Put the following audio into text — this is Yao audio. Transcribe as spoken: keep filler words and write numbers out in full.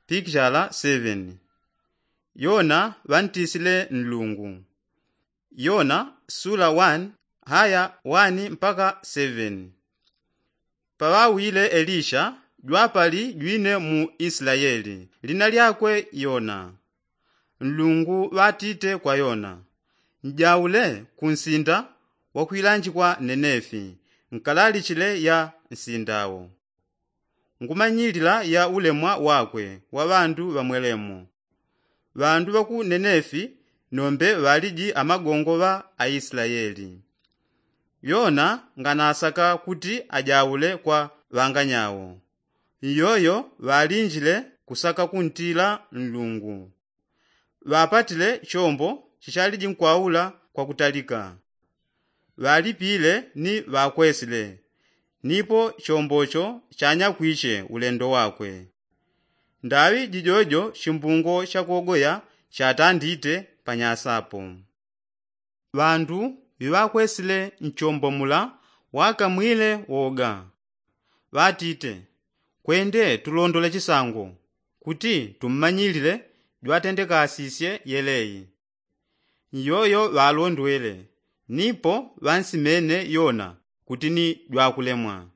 Pikishala seven. Yona ŵantisile nlungu. Yona sula one haya one mpaka seven. Paŵawile elisha jwapali jwine mu isilayeli lina lyakwe yona. Nlungu ŵatite kwa yona, njaule kunsinda wakwilanjikwa nenefi nkalalichile ya nsindawo. Ngumanyilila ya ulemwa wakwe wa ŵandu ŵamwelemo. Ŵandu ŵa ku nenefi nombe ŵaliji amagongo ŵa aisilayeli. Yona nganasaka kuti ajaule kwa ŵanganyawo. Iyoyo ŵalinjile kusaka kuntila nlungu. Ŵapatile chombo chichaliji nkwaula kwa kutalika. Ŵalipile ni ŵakwesile nipo chombocho chanyakwiche ulendo wakwe. Ndaŵi jijojo chimbungo chakogoya chatandite panyasapo. Ŵandu ŵiŵakwesile nchombo mula ŵakamwile woga. Ŵatite, kwende tulondole chisango kuti tummanyilile jwatendekasisye yeleyi. Iyoyo ŵalondwele nipo ŵansimene yona kuti ni jwakulemwa.